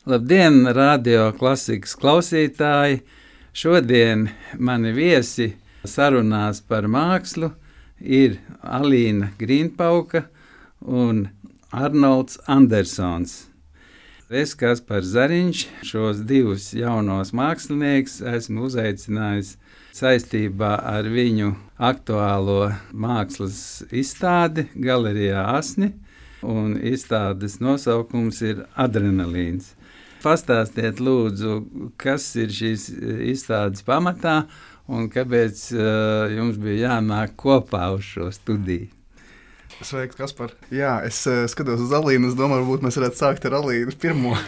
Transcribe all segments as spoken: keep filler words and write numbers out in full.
Labdien, radio klasikas klausītāji! Šodien mani viesi sarunās par mākslu ir Alīna Grīnpauka un Arnolds Andersons. Es, Kaspars Zariņš, šos divus jaunos mākslinieks esmu uzaicinājis saistībā ar viņu aktuālo mākslas izstādi Galerijā Asni, un izstādes nosaukums ir Adrenalīns. Pastāstiet, lūdzu, kas ir šīs izstādes pamatā un kāpēc uh, jums bija jānāk kopā uz šo studiju? Sveiks, Kaspar. Jā, es uh, skatos uz Alīnu. Es domāju, varbūt mēs varētu sākt ar Alīnu pirmo.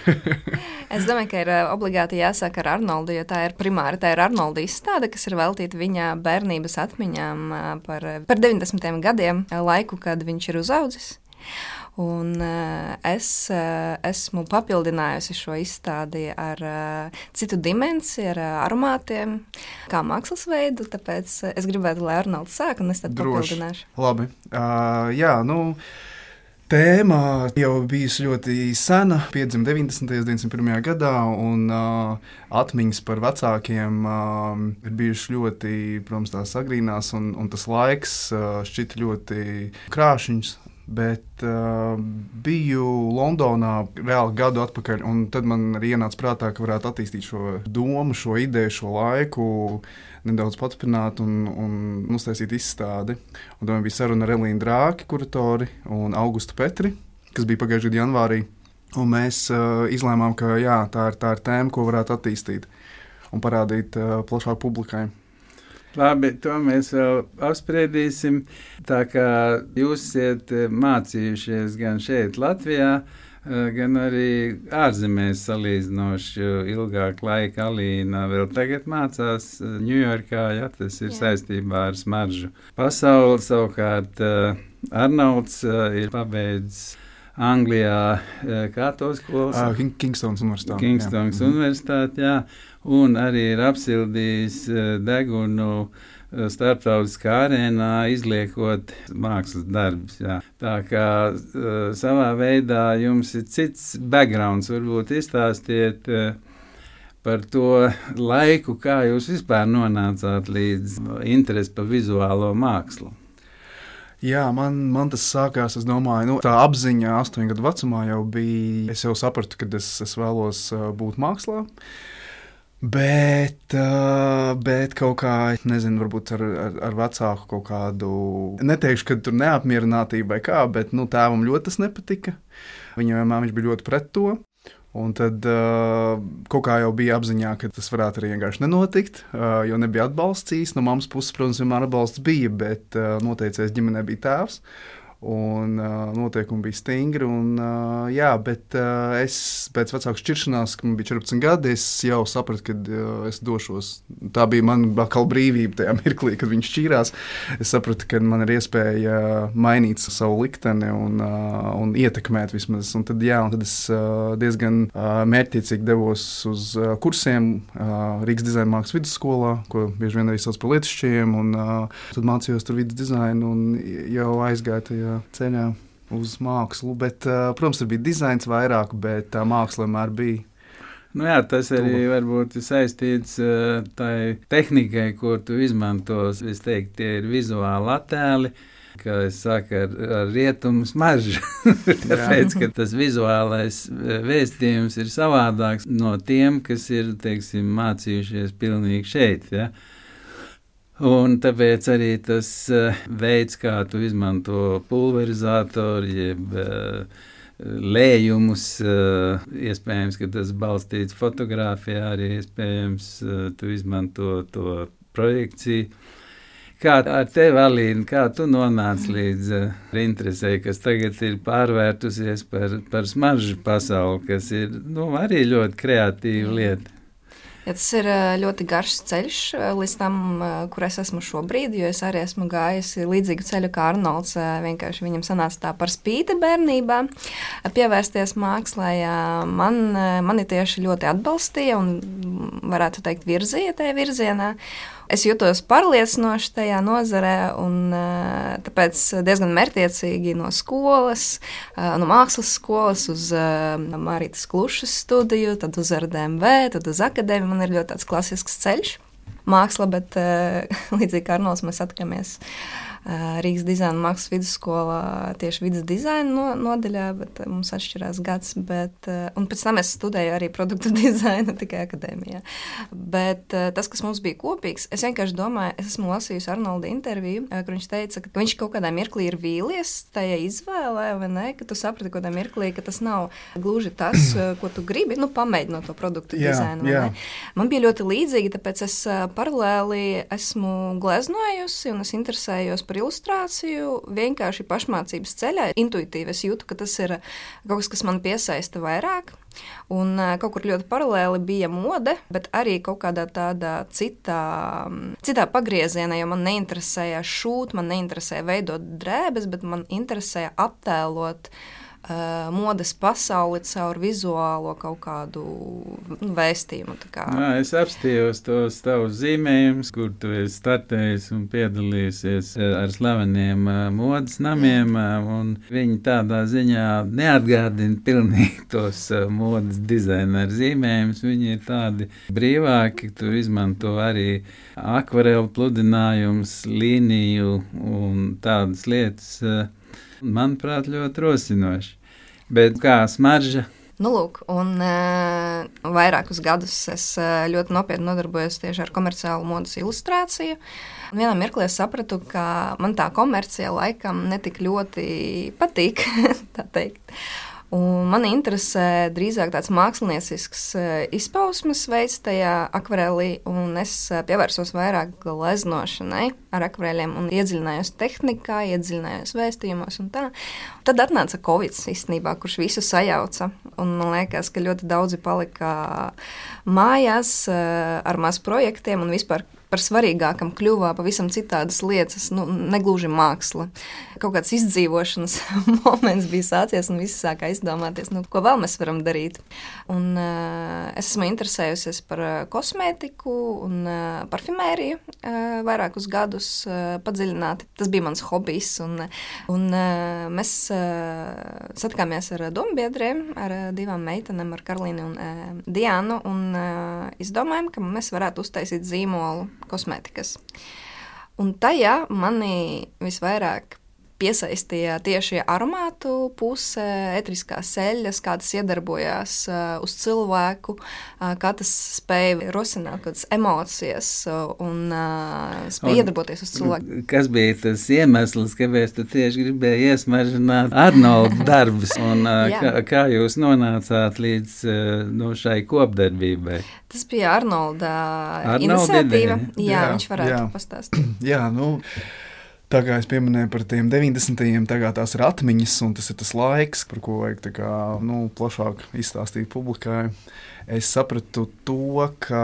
Es domāju, ka ir obligāti jāsāk ar Arnoldu, jo tā ir primāri, tā ir Arnolda izstāde, kas ir veltīta viņa bērnības atmiņām par, par deviņdesmitajiem gadiem, laiku, kad viņš ir uzaudzis. Un uh, es uh, esmu papildinājusi šo izstādi ar uh, citu dimensiju, ar uh, aromātiem, kā mākslas veidu, tāpēc es gribētu, lai Arnolds sāk, un es tad Droši. papildināšu. Labi. Uh, jā, nu, tēma jau bijusi ļoti sena, piedzima deviņdesmitajos, deviņdesmit pirmajā gadā, un uh, atmiņas par vecākiem uh, ir bijušas ļoti, protams, tās agrīnās, un, un tas laiks uh, šķita ļoti krāšņs. Bet uh, biju Londonā reāli gadu atpakaļ, un tad man arī ienāca prātā, ka varētu attīstīt šo domu, šo ideju, šo laiku, nedaudz paturpināt un, un uztaisīt izstādi. Un tad bija saruna ar Elīnu Drāki, kuratori, un Augustu Petri, kas bija pagājušajā gada janvārī. Un mēs uh, izlēmām, ka jā, tā ir, tā ir tēma, ko varētu attīstīt un parādīt uh, plašāk publikai. Labi, to mēs vēl apspriedīsim. Tā kā jūs esat mācījušies gan šeit Latvijā, gan arī ārzemēs salīdzinoši ilgāku laiku. Alīna vēl tagad mācās Ņujorkā, ja tas ir Jā. saistībā ar smaržu pasauli. Savukārt Arnolds ir pabeidzis Anglijā, kā to skolas? Uh, Kingstonas universitāte. Kingstonas jā. universitāte, jā. Un arī ir apsildījis degunu starptautiskā arēnā, izliekot mākslas darbus. Jā. Tā kā savā veidā jums ir cits backgrounds, varbūt izstāstiet par to laiku, kā jūs vispār nonācāt līdz interesi par vizuālo mākslu. Jā, man, man tas sākās, es domāju, nu, tā apziņa astoņu gadu vecumā jau bija, es jau sapratu, ka es, es vēlos uh, būt mākslā, bet, uh, bet kaut kā, nezinu, varbūt ar, ar, ar vecāku kaut kādu, neteikšu, ka tur neapmierinātība vai kā, bet, nu, tēvam ļoti tas nepatika, viņam vienmēr viņš bija ļoti pret to. Un tad uh, kaut kā jau bija apziņā, ka tas varētu arī vienkārši nenotikt, uh, jo nebija atbalsts īsti. No mammas puses, protams, vienmēr atbalsts bija, bet uh, noteicējs ģimenē bija tēvs. Un uh, noteikumi bija stingri. Un, uh, jā, bet uh, es pēc vecāku šķiršanās, kad man bija četrpadsmit gadi, es jau sapratu, ka uh, es došos. Tā bija man atkal brīvība tajā mirklī, kad viņš šķīrās. Es sapratu, ka man ir iespēja mainīt savu likteni un, uh, un ietekmēt vismaz. Un tad, jā, un tad es uh, diezgan uh, mērķtiecīgi devos uz uh, kursiem uh, Rīgas dizaina mākslas vidusskolā, ko bieži vien arī sauc par lietišķiem. Un uh, tad mācījos tur vidus dizainu un jau aizgāju tajā ceļā uz mākslu, bet, uh, protams, tur bija dizains vairāk, bet tā māksla vienmēr bija. Nu jā, tas arī varbūt ir saistīts uh, tai tehnikai, ko tu izmantos. Es teiktu, tie ir vizuāli attēli, kā es saku, ar, ar rietumu smaržu. Tāpēc, ka tas vizuālais vēstījums ir savādāks no tiem, kas ir, teiksim, mācījušies pilnīgi šeit, ja. Un tāpēc arī tas uh, veids, kā tu izmanto pulverizatoru, jeb uh, lējumus, uh, iespējams, ka tas balstīts fotogrāfijā, arī iespējams uh, tu izmanto to projekciju. Kā ar tevi, Alīna, kā tu nonāc līdz uh, interesei, kas tagad ir pārvērtusies par, par smaržu pasauli, kas ir nu, arī ļoti kreatīva lieta? Ja tas ir ļoti garš ceļš līdz tam, kur es esmu šobrīd, jo es arī esmu gājusi līdzīgu ceļu kā Arnolds. Vienkārši viņam sanāca tā par spīti bērnībā pievērsties mākslai. Man, mani tieši ļoti atbalstīja un varētu teikt, virzīja tajā virzienā. Es jutos pārliecinoši tajā nozarē, un tāpēc diezgan mērķtiecīgi no skolas, no mākslas skolas uz Marītas Klušas studiju, tad uz R D M V, tad uz akadēmiju. Man ir ļoti tāds klasisks ceļš. Māksla, bet līdzīgi kā Arnolds mēs atkāmies Rīgas dizaina mākslas vidusskolā tieši vidas dizaina no, nodaļā, bet mums atšķirās gads, bet, un pēc tam es studēju arī produktu dizainu tikai akadēmijā. Bet tas, kas mums bija kopīgs, es vienkārši domāju, es esmu lasījusi Arnolda interviju, kur viņš teica, ka viņš kaut kādā mirklī ir vīlies tajā izvēlē, vai ne, ka tu saprati kaut kādā mirklī, ka tas nav gluži tas, ko tu gribi, nu, pamēģinot to produktu jā, dizainu, vai jā. Ne? Man bija ļoti līdzīgi, tāpēc es paralēli esmu gleznojusi un es interesējos par ilustrāciju, vienkārši pašmācības ceļā. Intuitīvi es jūtu, ka tas ir kaut kas, kas man piesaista vairāk. Un kaut kur ļoti paralēli bija mode, bet arī kaut kādā tādā citā, citā pagriezienā, jo man neinteresēja šūt, man neinteresēja veidot drēbes, bet man interesēja attēlot Uh, modes pasauli caur vizuālo kaut kādu nu, vēstījumu. Jā, es apstījos tos tavus zīmējumus, kur tu esi startējis un piedalījusies ar slaveniem uh, modes namiem, uh, un viņi tādā ziņā neatgādina pilnīgi tos uh, modes dizaineru zīmējumus. Viņi ir tādi brīvāki, tu izmanto arī akvarelu pludinājumus, līniju un tādas lietas. Uh, Manuprāt, ļoti rosinoši. Bet kā smarža? Nu, lūk, un uh, vairākus gadus es uh, ļoti nopietni nodarbojos tieši ar komerciālu modes ilustrāciju. Un vienā mirklī es sapratu, ka man tā komercija laikam netik ļoti patīk, tā teikt. Un mani interesē drīzāk tāds māksliniecisks izpausmes veids tajā akvarelī, un es pievērsos vairāk gleznošanai ar akvareliem un iedziļinājos tehnikā, iedziļinājos vēstījumos un tā. Tad atnāca Covid īstenībā, kurš visu sajauca, un man liekas, ka ļoti daudzi palika mājās ar maz projektiem un vispār par svarīgākam kļuva pavisam citādas lietas, nu, negluži māksla. Kaut kāds izdzīvošanas moments bija sācies un visi sākā izdomāties, nu, ko vēl mēs varam darīt. Un uh, es esmu interesējusies par kosmētiku un uh, parfimēriju uh, vairākus gadus uh, padziļināti. Tas bija mans hobijs, un, un uh, mēs uh, satikāmies ar dombiedriem, ar uh, divām meitenēm, ar Karlīnu un uh, Diānu, un uh, izdomājam, ka mēs varētu uztaisīt zīmolu kosmētikas. Un tajā mani visvairāk piesaistīja tieši aromātu puse, etriskās eļļas, kā tas iedarbojās uh, uz cilvēku, uh, kā tas spēja rosināt kādas emocijas un uh, spēja iedarboties uz cilvēku. Kas bija tas iemesls, kāpēc tu tieši gribēji iesmaržināt Arnolda darbus, un uh, kā, kā jūs nonācāt līdz uh, no šai kopdarbībai? Tas bija Arnolda, Arnolda iniciatīva. Jā, jā, viņš varētu jā. pastāstīt. Jā, nu... Tā kā es pieminēju par tiem deviņdesmitajiem, tagad tās ir atmiņas, un tas ir tas laiks, par ko vajag tā kā, nu, plašāk izstāstīt publikai. Es sapratu to, ka,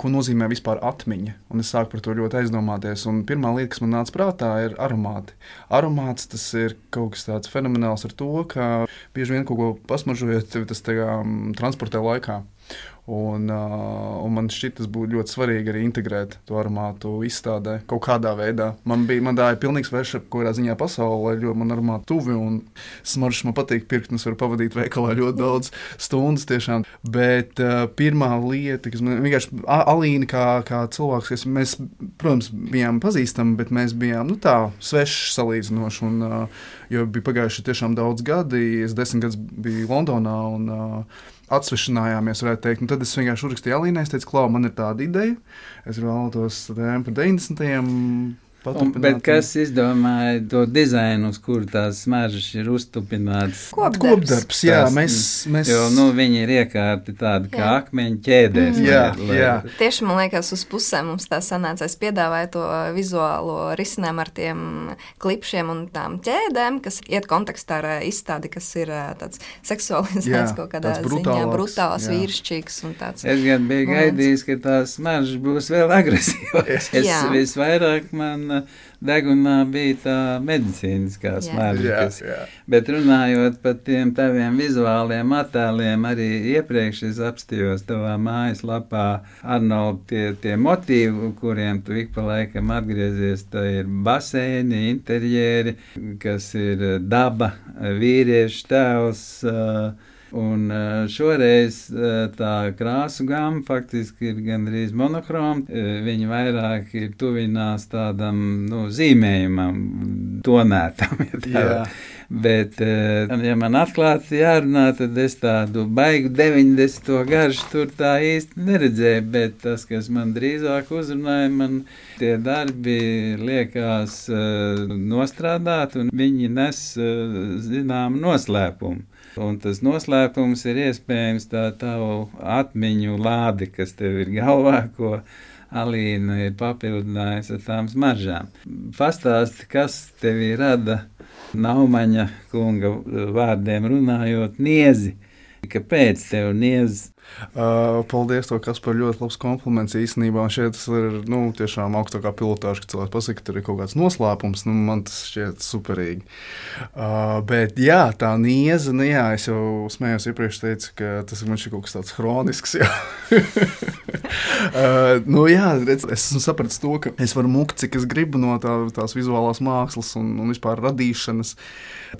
ko nozīmē vispār atmiņa, un es sāku par to ļoti aizdomāties. Un pirmā lieta, kas man nāca prātā, ir aromāti. Aromāts tas ir kaut kas tāds fenomenāls ar to, ka bieži vien kaut ko pasmaržojot, tas tā kā transportē laikā. Un, uh, un man šķiet, tas būtu ļoti svarīgi arī integrēt to aromātu izstādē kaut kādā veidā. Man bija, man tā ir pilnīgi sveša kaut kādā ziņā pasaulē, jo man aromāti tuvi un smaržas man patīk pirkt, un es varu pavadīt veikalā ļoti daudz stundas tiešām. Bet uh, pirmā lieta, kas man vienkārši Alīna kā, kā cilvēks, kas mēs, protams, bijām pazīstami, bet mēs bijām, nu tā, sveši salīdzinoši, un, uh, jo bija pagājuši tiešām daudz gadi, es desmit gadus biju Londonā, un uh, atsvešinājāmies, varētu teikt. Un tad es vienkārši uzrakstīju Alīnai, es teicu, Klau, man ir tāda ideja, es vēlētos tēmu par deviņdesmitajiem Un, bet kas izdomāja to dizainu, uz kuru tās smaržas ir uztupinātas? Kopdarbs. Kopdarbs, jā, tās, mēs, mēs... Jo, nu, viņi ir iekārti tādi kā akmeņi ķēdēs. Jā, lai, jā. Tieši, man liekas, uz pusēm mums tā sanāca. Es piedāvāju to vizuālo risinājumu ar tiem klipšiem un tām ķēdēm, kas iet kontekstā ar izstādi, kas ir tāds seksualizēts kaut kādā ziņā, brutāls, vīrišķīgs un tāds. Es gan biju moments. Gaidījis, ka tās smaržas būs vēl agresīvākas. Es visvairāk man un degunā bija tā medicīniskā smarža. Jā, kas- jā. Bet runājot par tiem taviem vizuāliem attēliem, arī iepriekš es apstījos tavā mājaslapā, Arnold, tie, tie motīvi, kuriem tu ik pa laikam atgriezies, tā ir baseini, interjeri, kas ir daba, vīriešu tēls. uh, Un uh, šoreiz uh, tā krāsu gama faktiski ir gandrīz monohroma. Uh, Viņi vairāk ir tuvinās tādam nu, zīmējumam, tonētam. Ja tā Jā. var. Bet, uh, ja man atklāti jārunā, tad es tādu baigu deviņdesmito garšu tur tā īsti neredzēju. Bet tas, kas man drīzāk uzrunāja, man tie darbi liekas uh, nostrādāt, un viņi nes uh, zināmu noslēpumu. Un tas noslēpums ir iespējams tā tavu atmiņu lāde, kas tev ir galvā, ko Alīna ir papildinājusi ar tām smaržām. Pastāsti, kas tevi rada Naumaņa kunga vārdiem runājot niezi. Kāpēc tev niezi? Uh, paldies, to, kas par ļoti labs kompliments īstenībā. Un šeit tas ir nu, tiešām augstākā pilotāža, ka cilvēks pasaka, ka tur ir kaut kāds noslēpums. Nu, man tas šķiet superīgi. Uh, bet jā, tā nieza, nu jā, es jau smējos iepriekš teicu, ka tas man šķiet kaut kas tāds hronisks. Jā. uh, nu jā, redz, es esmu sapratis to, ka es varu mukt, cik es gribu no tā, tās vizuālās mākslas un, un vispār radīšanas,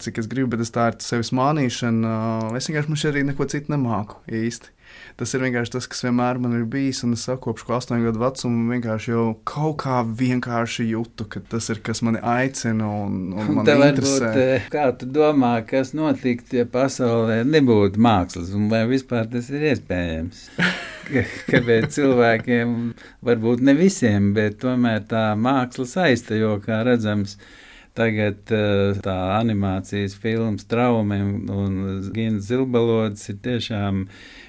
cik es gribu, bet es tā ir sevis mānīšana. Uh, es vienkārši man šeit arī neko citu nemāku īsti. Tas ir vienkārši tas, kas vienmēr man ir bijis, un es saku, kopš astoņu gadu vecuma vienkārši jau kaut kā vienkārši jūtu, ka tas ir, kas mani aicina un, un man Tev interesē. varbūt, kā tu domā, kas notiktu, ja pasaulē nebūtu mākslas, un vai vispār tas ir iespējams? Kāpēc cilvēkiem, varbūt ne visiem, bet tomēr tā māksla saista, jo, kā redzams, tagad tā animācijas filmas Traumiem un Gins Zilbalods ir tiešām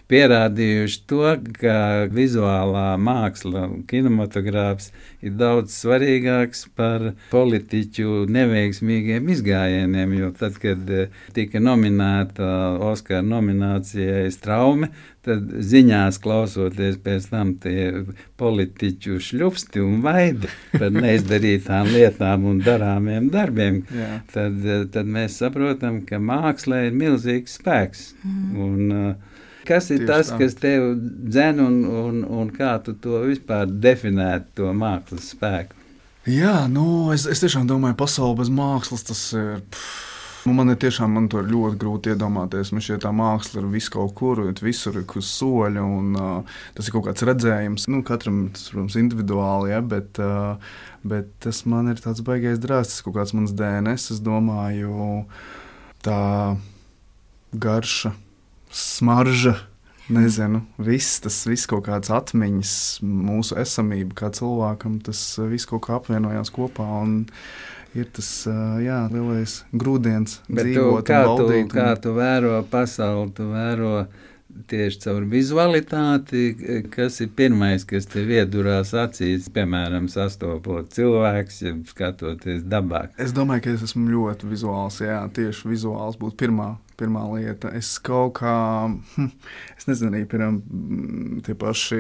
pierādījuši to, ka vizuālā māksla, kinematogrāfs ir daudz svarīgāks par politiķu neveiksmīgiem izgājieniem, jo tad, kad tika nominēta Oskara nominācijai Straume, tad ziņās klausoties pēc tam tie politiķu šļupsti un vaidi par neizdarītām lietām un darāmiem darbiem, Jā. tad, tad mēs saprotam, ka mākslā ir milzīgs spēks. Mm. Un, kas ir Tieši tas, tā. kas tev dzen un, un, un kā tu to vispār definētu, to mākslas spēku? Jā, nu, es, es tiešām domāju, pasaule bez mākslas tas ir. Pff, nu, man ir tiešām man to ir ļoti grūti iedomāties. Man šķiet, tā māksla ir vis kaut kur, visur ir uz soļa, un uh, tas ir kaut kāds redzējums. Nu, katram tas, protams, individuāli, ja, bet, uh, bet tas man ir tāds baigais drāsts, tas kaut kāds mans D N S, es domāju, tā garša, smarža, nezinu, viss, tas viss kaut kāds atmiņas, mūsu esamība kā cilvēkam, tas viss kaut kā apvienojās kopā un ir tas, jā, lielais grūdienis Bet tu, dzīvot kā, un tu, baudīt. kā Un... tu vēro pasauli, tu vēro tieši caur vizualitāti, kas ir pirmais, kas tev iedurās acīs, piemēram, sastopot cilvēks, ja skatoties dabā. Es domāju, ka es esmu ļoti vizuāls, jā, tieši vizuāls būtu pirmā. Pirmā lieta, es kaut kā, hm, es nezinu, arī piemēram, tie paši,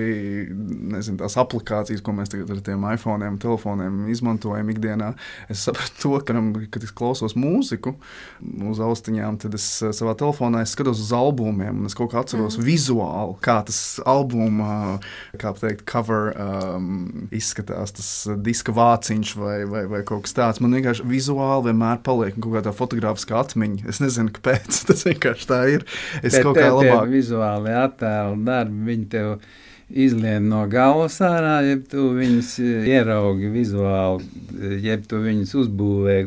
nezinu, tās aplikācijas, ko mēs tagad ar tiem iPhone'iem, telefoniem izmantojam ikdienā, es sapratu to, ka, kad es klausos mūziku uz austiņām, tad es savā telefonā es skatos uz albumiem, un es kaut kā atceros mm. vizuāli, kā tas albuma, kā teikt, cover um, izskatās, tas diska vāciņš vai, vai, vai kaut kas tāds. Man vienkārši vizuāli vienmēr paliek kaut kā tā fotogrāfiska atmiņa. Es nezinu, kāpēc. Tas vienkārši tā ir. Es Bet kaut kā labāk. Bet vizuāli attēlu darbi, viņi tev izlien no galvas ārā, jeb tu viņus ieraugi vizuāli, jeb tu viņus uzbūvē.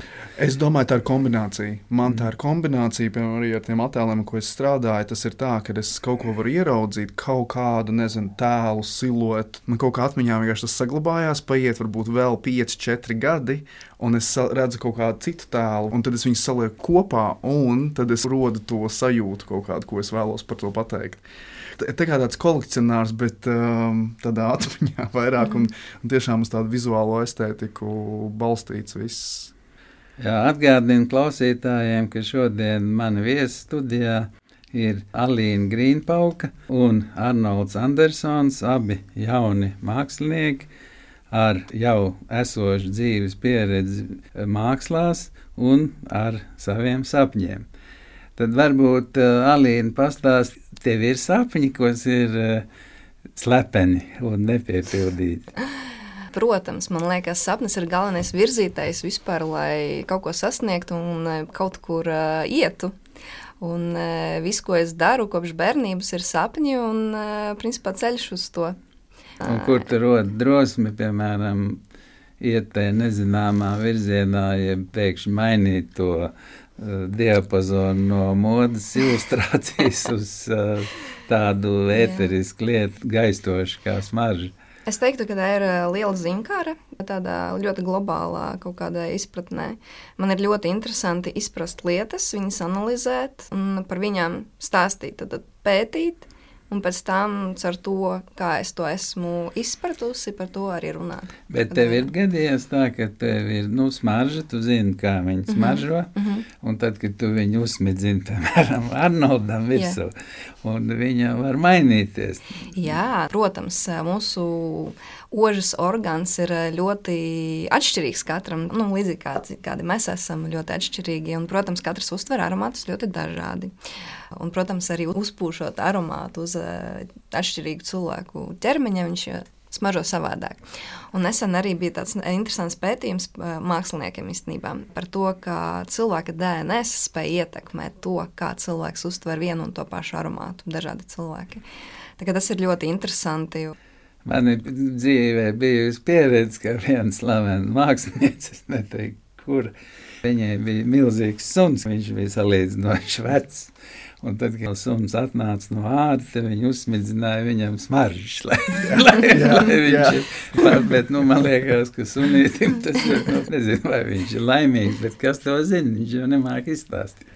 Es domāju, tā ir kombinācija. Man tā ir kombinācija, piemēram, arī ar tiem attēliem, ko es strādāju. Tas ir tā, ka es kaut ko varu ieraudzīt, kaut kādu, nezinu, tēlu, siluetu. Man kaut kā atmiņā vienkārši tas saglabājās, paiet varbūt vēl pieci, četri gadi, un es redzu kaut kādu citu tēlu, un tad es viņus salieku kopā, un tad es rodu to sajūtu kaut kādu, ko es vēlos par to pateikt. Tā kā tāds kolekcionārs, bet um, tādā atmiņā vairāk un, un tiešām uz tādu vizuālo estētiku balstīts viss. Jā, atgādinu klausītājiem, ka šodien mani viesi studijā ir Alīna Grīnpauka un Arnolds Andersons, abi jauni mākslinieki. ar jau esošu dzīves pieredzi mākslās un ar saviem sapņiem. Tad varbūt uh, Alīna pastāst, tev ir sapņi, kas ir uh, slepeni un nepiepildīti. Protams, man liekas, sapnis ir galvenais virzītājs vispār, lai kaut ko sasniegtu un kaut kur uh, ietu. Un uh, viss, ko es daru kopš bērnības, ir sapņi un, uh, principā, ceļš uz to. Un kur tu rod drosmi, piemēram, iet tajā nezināmā virzienā, ja pēkšņi mainīt to uh, diapazonu no modas ilustrācijas uz uh, tādu ēterisku lietu, gaistošu kā smarža? Es teiktu, ka tā ir liela ziņkāra, tādā ļoti globālā kaut kādā izpratnē. Man ir ļoti interesanti izprast lietas, viņas analizēt un par viņām stāstīt, tad pētīt. Un pēc tam, ar to, kā es to esmu izpratusi, par to arī runāt. Bet tev ir gadījies tā, ka tev ir nu, smarža, tu zini, kā viņi smaržo, mm-hmm. un tad, kad tu viņu uzsmidzini, piemēram, Arnoldam virsū, un viņa var mainīties. Jā, protams, mūsu ožas orgāns ir ļoti atšķirīgs katram, nu, līdzīgi kādi, kādi mēs esam ļoti atšķirīgi, un, protams, katrs uztver aromātus ļoti dažādi. Un, protams, arī uzpūšot aromātu uz uh, atšķirīgu cilvēku ķermeņa, viņš smaržo savādāk. Un nesen arī bija tāds interesants pētījums uh, māksliniekiem īstenībā par to, kā cilvēka D N S spēj ietekmēt to, kā cilvēks uztver vienu un to pašu aromātu, dažādi cilvēki. Tā kā tas ir ļoti interesanti. Man ir dzīvē bijusi pieredze, ka viens slavens mākslinieks, es neteiktu, kur viņai bija milzīgs suns, viņš bija salīdzinoši vecs. Un tad, kad suns atnāca no ārta, tad viņi uzsmidzināja viņam smaržas, lai, lai, jā, lai viņš ir. Bet, nu, man liekas, ka sunītim tas ir, nu, nezinu, vai viņš ir laimīgs, bet kas to zina, viņš jau nemāk izstāstīt.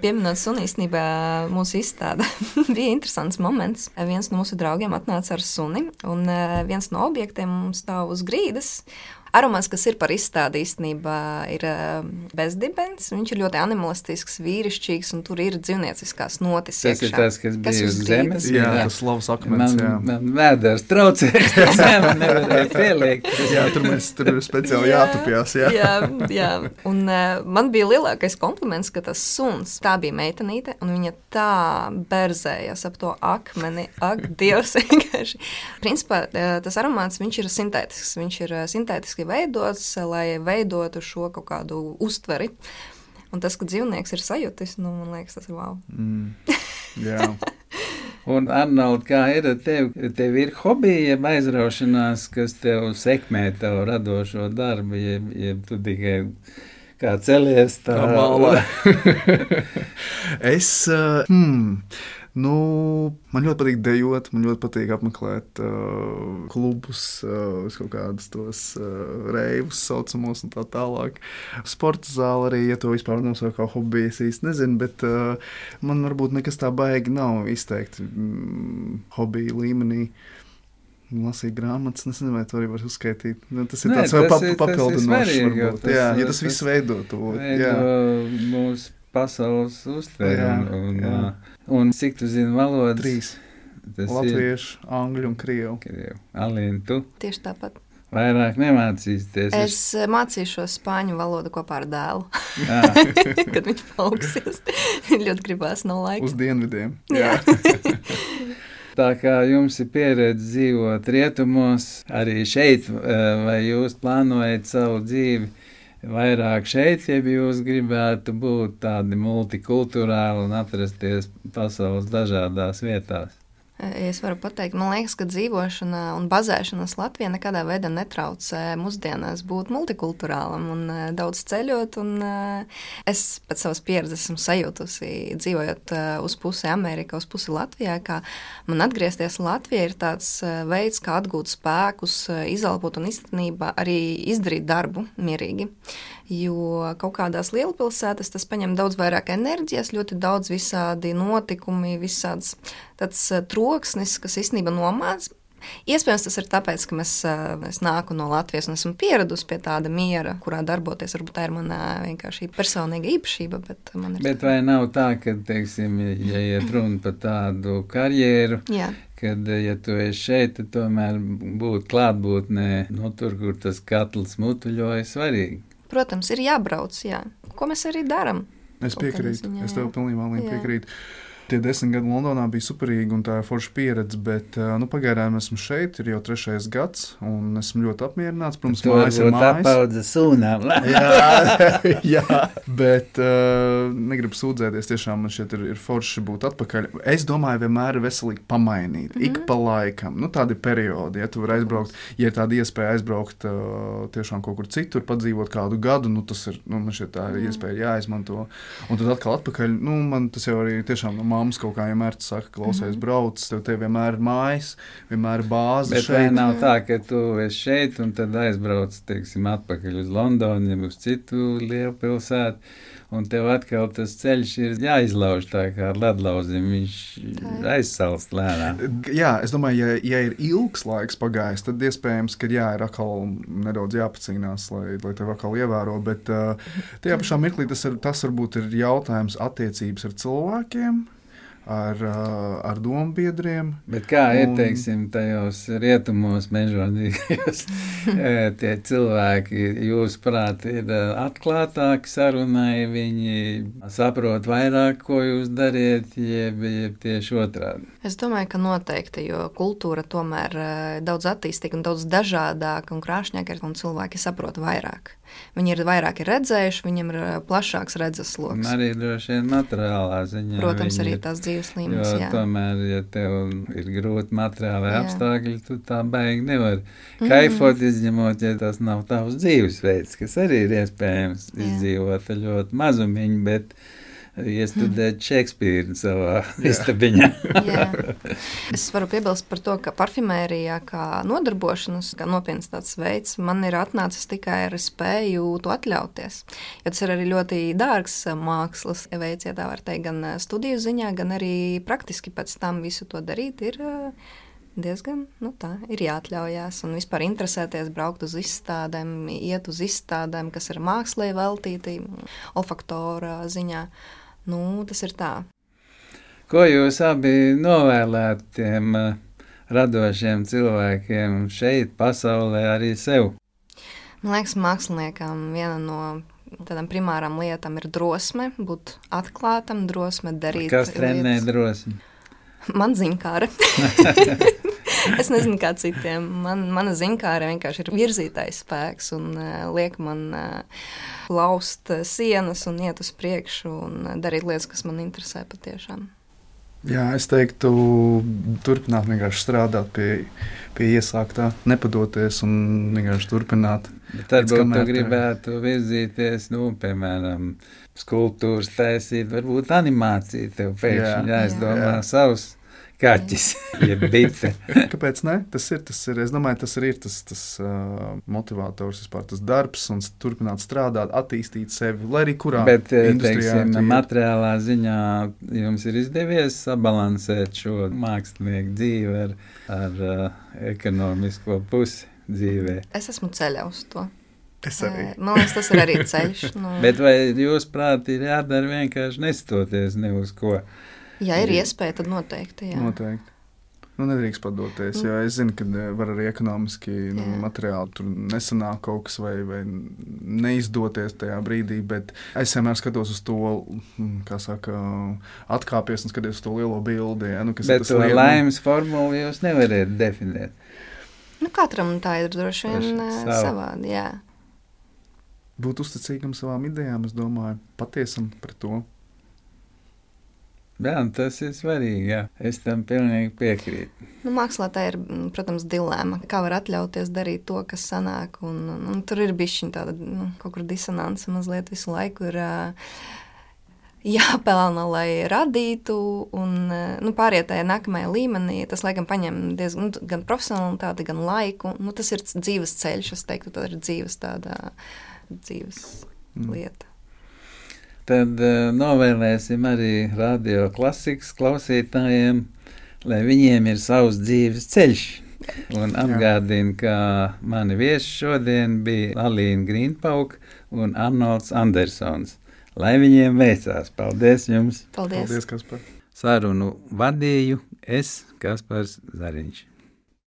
Pieminot suni, īstenībā mūsu izstāde bija interesants moments. Viens no mūsu draugiem atnāca ar suni, un viens no objektiem mums stāv uz grīdas. Aromāts, kas ir par izstādi īstenībā, ir bezdibens. Viņš ir ļoti animalistisks, vīrišķīgs, un tur ir dzīvnieciskās notis iekšā. Tas ir tas, kas, kas bija uz zemes. Jā, jā, tas slavas akmens. Man, man vēders traucēs, tas man nevarēja pieliekt. Jā, tur mēs tur speciāli jā, jātupjās. Jā, jā, jā. Un uh, man bija lielākais kompliments, ka tas suns, tā bija meitenīte, un viņa tā berzējās ap to akmeni. Ak, Dievs, vienkārši. Principā tas aromāts, viņš ir sintētisks. Viņš ir sintētiski veidots, lai veidotu šo kaut kādu uztveri. Un tas, ka dzīvnieks ir sajūtis, nu, man liekas, tas ir wow. Mm, jā. Un, Arnold, kā ir ar tevi? Tev ir hobija, jeb aizraušanās, kas tev sekmē tavu radošo darbu, jeb, jeb tu tikai kā celies tā malā? es, uh, hmm, nu, man ļoti patīk dejot, man ļoti patīk apmeklēt uh, klubus, uh, kaut kādus tos uh, reivus saucamos un tā tālāk. Sporta zāle arī, ja to vispār nosaukt kā hobiju, es īsti nezinu, bet uh, man varbūt nekas tā baigi nav izteikti mm, hobiju līmenī. Lasīt grāmatas, nezinu, vai to arī var uzskaitīt. Nu, tas ir Nē, tāds tas pap, ir, papildinošs, svarīgi, varbūt. Tas, jā, ja tas, tas viss veido to. Veido mūsu pasaules uztveri. Jā, un, jā. Un cik tu zini valodas? Trīs. Tas Latviešu, angļu un krievu. Krievu. Alīna, tu? Tieši tāpat. Vairāk nemācīsies. Es mācīšos spāņu valodu kopā ar dēlu. Kad viņš paaugsies. Ļoti gribās, nav laika. Uz dienvidiem. Jā. Tā kā jums ir pieredze dzīvot rietumos, arī šeit, vai jūs plānojat savu dzīvi vairāk šeit, ja jūs gribētu būt tādi multikulturāli un atrasties pasaules dažādās vietās? Es varu pateikt, man liekas, ka dzīvošana un bazēšanās Latvijā nekādā veidā netraucē mūsdienās būt multikulturālam un daudz ceļot. Un es pēc savas pieredzes esmu sajūtusi, dzīvojot uz pusi Amerikā, uz pusi Latvijā, ka man atgriezties Latvijā ir tāds veids, kā atgūt spēkus, izelpot un īstenībā arī izdarīt darbu mierīgi. Jo kaut kādās lielpilsētās tas paņem daudz vairāk enerģijas, ļoti daudz visādi notikumi, visāds tāds troksnis, kas īstenībā nomāc. Iespējams, tas ir tāpēc, ka mēs, es nāku no Latvijas un esmu pieradusi pie tāda miera, kurā darboties. Varbūt tā ir mana vienkārši personīga īpašība, bet man ir... Bet vai nav tā, ka, teiksim, ja iet runa par tādu karjeru, Jā. kad, ja tu esi šeit, tad tomēr būt klātbūtnē, no tur, kur tas katls mutuļoja, svarīgi? Protams, ir jābrauc, jā. Ko mēs arī daram? Es piekrītu, ziņā, es tev pilnībā jā. piekrītu. Tie desmit gadi Londonā bija superīgi un tā ir forša pieredze, bet nu, pagaidām esmu šeit, ir jau trešais gads, un esmu ļoti apmierināts. Protams, tu mājas ir mājas. Apaudze sūnām. jā, jā, bet uh, negribu sūdzēties, tiešām man šeit ir, ir forši būt atpakaļ. Es domāju, vienmēr ir veselīgi pamainīt, mm-hmm. ik pa laikam. Nu, tādi periodi, ja tu vari aizbraukt, ja ir tāda iespēja aizbraukt uh, tiešām kaut kur citur, padzīvot kādu gadu, nu, tas ir, nu, man šeit tā ir iespēja jāizmanto. Un tad atkal atpakaļ, nu, man tas jau arī tiešām no mammas kaut kā vienmēr saka, klausies, mm-hmm. brauc, tev te vienmēr ir mājas, vienmēr ir bāze Bet šeit. Bet vai nav tā, ka tu esi šeit un tad aizbrauc, teiksim, atpakaļ uz Londonu, ja uz citu lielu pilsētu, un tev atkal tas ceļš ir jāizlauž tā kā ar ledlauzim, viņš aizsalst lēnām. Jā, es domāju, ja, ja ir ilgs laiks pagājis, tad iespējams, ka jā, ir atkal nedaudz jāpacīnās, lai, lai tev atkal ievēro, bet uh, tajā pašā mirklī tas, ir, tas varbūt ir jautājums attiecības ar cilvēkiem, ar, ar dombiedriem. Bet kā un... ir, teiksim, tajos rietumos mežonīgajos tie cilvēki, jūs prāt, ir atklātāki sarunai, viņi saprot vairāk, ko jūs dariet, jeb, jeb tieši otrādi? Es domāju, ka noteikti, jo kultūra tomēr daudz attīstīga un daudz dažādāka un krāšņāka ir, un cilvēki saprot vairāk. Viņi ir vairāk ir redzējuši, viņiem ir plašāks redzes sloks. Un arī droši vien materiālā ziņā. Protams, arī tās dzīves līmenis, jo jā. Tomēr, ja tev ir grūti materiāli apstākļi, tu tā baigi nevar mm. kaifot, izņemot, ja tas nav tavs dzīvesveids, kas arī ir iespējams jā. Izdzīvot ļoti mazumiņu, bet iestudēt Šekspīru savā istabiņā. Es varu piebilst par to, ka parfimērijā kā nodarbošanas, kā nopietnas tāds veids, man ir atnācis tikai ar spēju to atļauties. Jo tas ir arī ļoti dārgs mākslas veids, ja tā var teikt, gan studiju ziņā, gan arī praktiski pēc tam visu to darīt ir diezgan, nu tā, ir jāatļaujās un vispār interesēties, braukt uz izstādēm, iet uz izstādēm, kas ir mākslē veltīti, olfaktora ziņā. Nu, tas ir tā. Ko jūs abi novēlētu tiem uh, radošiem cilvēkiem šeit, pasaulē, arī sev? Man liekas, māksliniekam viena no tādām primārām lietām ir drosme, būt atklātam, drosme darīt. Kas trenē drosmi? Man ziņkāra. Es nezinu, kā citiem. Man, mana ziņkāra vienkārši ir virzītājs spēks un uh, liek man uh, laust uh, sienas un iet uz priekšu un uh, darīt lietas, kas man interesē patiešām. Jā, es teiktu, turpināt vienkārši strādāt pie, pie iesāktā, nepadoties un vienkārši turpināt. Bet tad būtu tu gribētu virzīties, nu, piemēram, skulptūras taisīt, varbūt animācija tev pēkšņi jāizdomā savs kaķis, jeb bite. Kāpēc ne? Tas ir, tas ir, es domāju, tas arī ir tas, tas uh, motivators, vispār tas darbs un turpināt strādāt, attīstīt sevi, lai arī kurā Bet, industrijā. Bet, teiksim, materiālā ziņā jums ir izdevies sabalansēt šo mākslinieku dzīvi ar, ar uh, ekonomisko pusi dzīvē. Es esmu ceļā uz to. Es arī. Man liekas, tas ir arī ceļš. Nu. Bet vai jūs prāt ir jādara vienkārši nestoties ne uz ko? Ja ir iespēja, tad noteikti, jā. Noteikti. Nu, nedrīkst padoties, jo es zinu, ka var arī ekonomiski nu, materiāli tur nesanāk kaut kas vai, vai neizdoties tajā brīdī, bet es vienmēr skatos uz to, kā saka, atkāpies un skaties uz to lielo bildi. Ja, nu, kas bet tas to lielu... laimes formulu jūs nevarētu definēt. Nu, katram tā ir droši vien savādi, jā. Būt uzticīgam savām idejām, es domāju, patiesam par to. Jā, tas ir svarīgi, jā. Es tam pilnīgi piekrītu. Nu, mākslā tā ir, protams, dilēma. Kā var atļauties darīt to, kas sanāk, un, un, un tur ir bišķiņ tāda, nu, kaut kur disonanse mazliet visu laiku ir uh, jāpelna, lai radītu, un, uh, nu, pāriet tajā nākamajā līmenī, tas, laikam, paņem diezgan, nu, gan profesionalitāti, gan laiku, nu, tas ir dzīves ceļš, es teiktu, tā ir dzīves tāda dzīves mm. lieta. Tad uh, novēlēsim arī radio klasikas klausītājiem, lai viņiem ir savs dzīves ceļš. Un atgādinu, ka mani viesi šodien bija Alīna Grīnpauka un Arnolds Andersons. Lai viņiem veicās. Paldies jums! Paldies! Paldies, Kaspar! Sarunu vadīju es, Kaspars Zariņš.